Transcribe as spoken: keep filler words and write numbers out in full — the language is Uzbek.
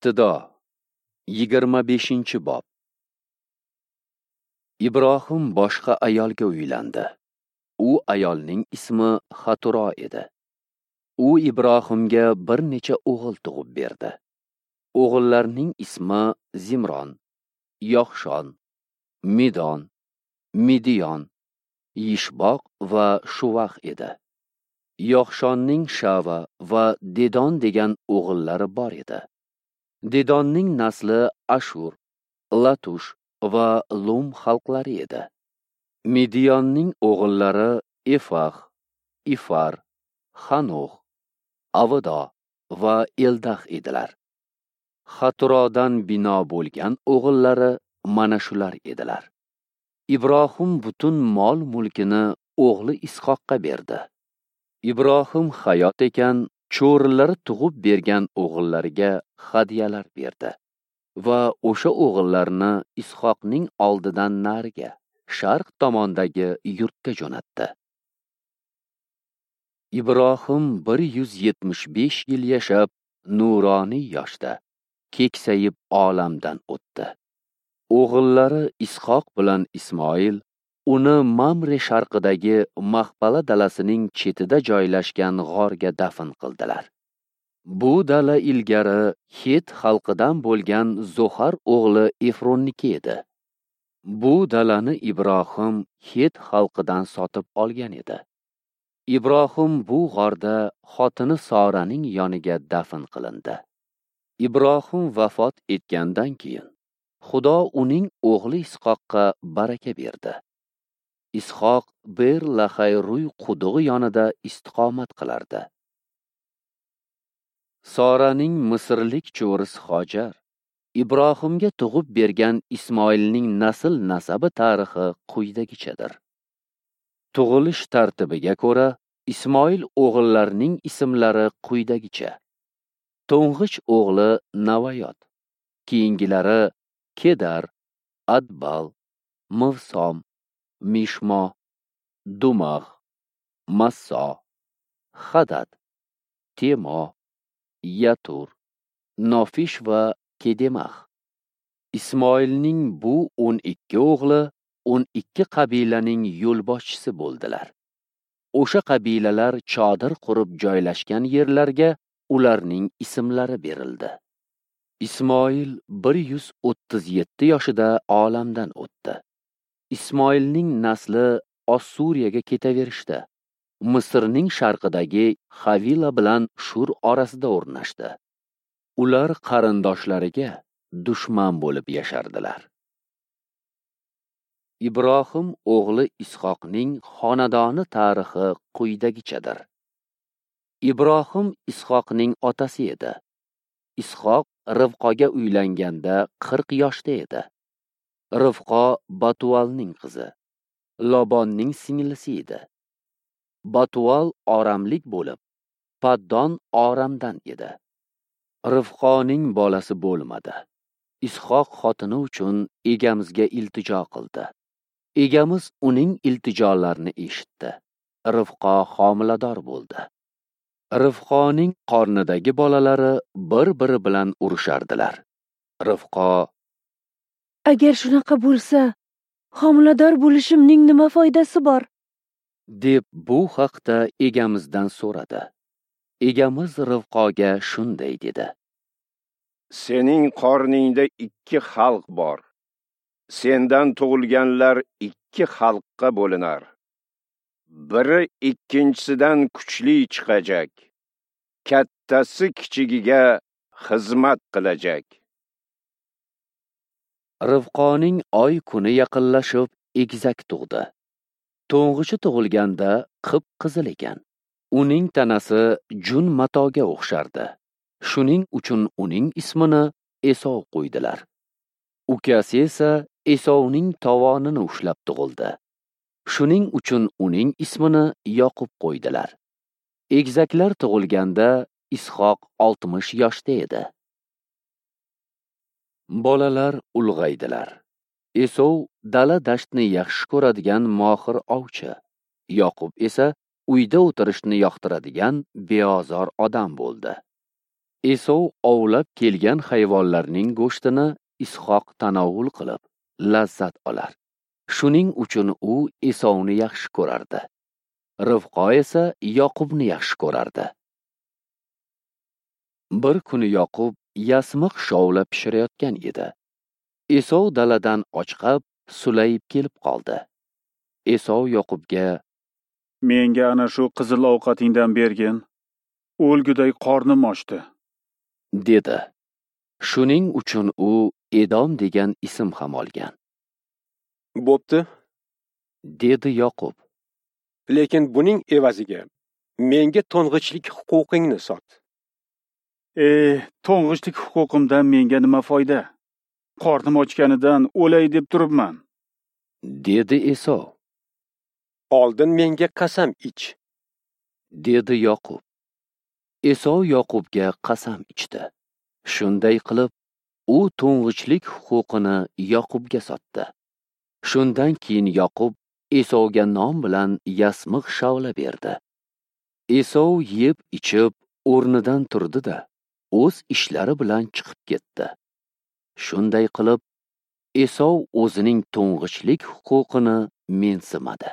Ibtido yigirma beshinchi bob. Ibrohim boshqa ayolga uylandi. U ayolning ismi Xaturo edi. U Ibrohimga bir necha o'g'il tug'ib berdi. O'g'illarning ismi Zimron, Yoqshon, Midon, Midiyon, Yishboq va Shuvax edi. Yoqshonning Shava va Dedon degan o'g'illari bor edi. Dedonning nasli Ashur, Latush va Lum xalqlari edi. Midiyonning o'g'illari Efax, Ifar, Xanox, Avdo va Eldax edilar. Xaturodan bino bo'lgan o'g'illari mana shular edilar. Ibrohim butun mol-mulkini o'g'li Ishoqqa berdi. Ibrohim hayot ekan, cho'rilari tug'ib bergan o'g'illariga hadyalar berdi va o'sha o'g'illarni Ishoqning oldidan nariga, sharq tomondagi yurtga jo'natdi. Ibrohim bir yuz yetmish besh yil yashab, nuroniy yoshda keksayib olamdan o'tdi. O'g'illari Ishoq bilan Ismoil uni Mamre sharqidagi Maxpala dalasining chetida joylashgan g'orga dafn qildilar. Bu dala ilgari Het xalqidan bo'lgan Zohar o'g'li Efronniki edi. Bu dalani Ibrohim Het xalqidan sotib olgan edi. Ibrohim bu g'orda xotini Soraning yoniga dafn qilindi. Ibrohim vafot etgandan keyin Xudo uning o'g'li Ishoqqa baraka berdi. Ishoq Ber Laxay-Ruy qudug'i yonida istiqomat qilardi. Soraning misrlik cho'risi Hojar Ibrohimga tug'ib bergan Ismoilning nasl nasabi tarixi quyidagichadir. Tug'ilish tartibiga ko'ra Ismoil o'g'illarining ismlari quyidagicha. To'ng'ich o'g'li Navayot, keyingilari Kedar, Adbal, Mivsom, Mishmo, Dumax, Masso, Hadad, Temo, Yatur, Nofish va Kedemax. Ismoilning bu o'n ikki o'g'li o'n ikki qabilaning yo'lboshchisi bo'ldilar. O'sha qabilalar chodir qurib joylashgan yerlarga ularning ismlari berildi. Ismoil bir yuz o'ttiz yetti yoshida olamdan o'tdi. Ismoilning nasli Ossuriyaga ketaverishdi. Misrning sharqidagi Havila bilan Shur orasida o'rnashdi. Ular qarindoshlariga dushman bo'lib yashardilar. Ibrohim o'g'li Ishoqning xonadoni tarixi quyidagichadir. Ibrohim Ishoqning otasi edi. Ishoq Rivqoga uylanganda qirq yoshda edi. Rivqo Batualning qizi, Lobonning singlisi edi. Batual oramlik bo'lib, Paddon Oramdan edi. Rivqoning bolasi bo'lmadi. Ishoq xotini uchun egamizga iltijo qildi. Egamiz uning iltijolarini eshitdi. Rivqo homilador bo'ldi. Rivqoning qornidagi bolalari bir-biri bilan urushardilar. Rivqo: "Agar shunaqa bo'lsa, homilador bo'lishimning nima foydasi bor?" deb bu haqda egamizdan so'radi. Egamiz Rivqoga shunday dedi: "Sening qorningda ikki xalq bor. Sendan tug'ilganlar ikki xalqqa bo'linar. Biri ikkinchisidan kuchli chiqajak. Kattasi kichigiga xizmat qilajak." Rivqoning oy kuni yaqinlashib egizak tug'di. To'ng'ichi tug'ilganda qip-qizil ekan. Uning tanasi jun matoga o'xshardi. Shuning uchun uning ismini Esov qo'ydilar. Ukasi esa Esovning tovonini ushlab tug'ildi. Shuning uchun uning ismini Yoqub qo'ydilar. Egizaklar tug'ilganda Ishoq oltmish yoshda edi. Bolalar ulg'aydilar. Esov dala dashtni yaxshi ko'radigan mohir ovchi, Yoqub esa uyda o'tirishni yoqtiradigan beozor odam bo'ldi. Esov ovlab kelgan hayvonlarning go'shtini Ishoq tanovul qilib, lazzat olar. Shuning uchun u Esovni yaxshi ko'rardi. Rivqo esa Yoqubni yaxshi ko'rardi. Bir kuni Yoqub yasmiq shovla pishirayotgan edi. Esov daladan ochqab, sulayib kelib qoldi. Esov Yoqubga: "Menga ana shu qizil ovqatingdan bergin. O'lguday qornim ochdi", dedi. Shuning uchun u Edom degan ism ham olgan. "Bo'pti", dedi Yoqub. "Lekin buning evaziga menga to'ng'ichlik huquqingni sot." "E, to'ng'ichlik huquqimdan menga nima foyda? Qornim ochganidan o'lay deb turibman", dedi Esov. "Oldin menga qasam ich", dedi Yoqub. Esov Yoqubga qasam ichdi. Shunday qilib, u to'ng'ichlik huquqini Yoqubga sotdi. Shundan keyin Yoqub Esovga non bilan yasmiq shavla berdi. Esov yeb ichib o'rnidan turdi-da, o'z ishlari bilan chiqib ketdi. Shunday qilib, Esov o'zining to'ng'ichlik huquqini mensimadi.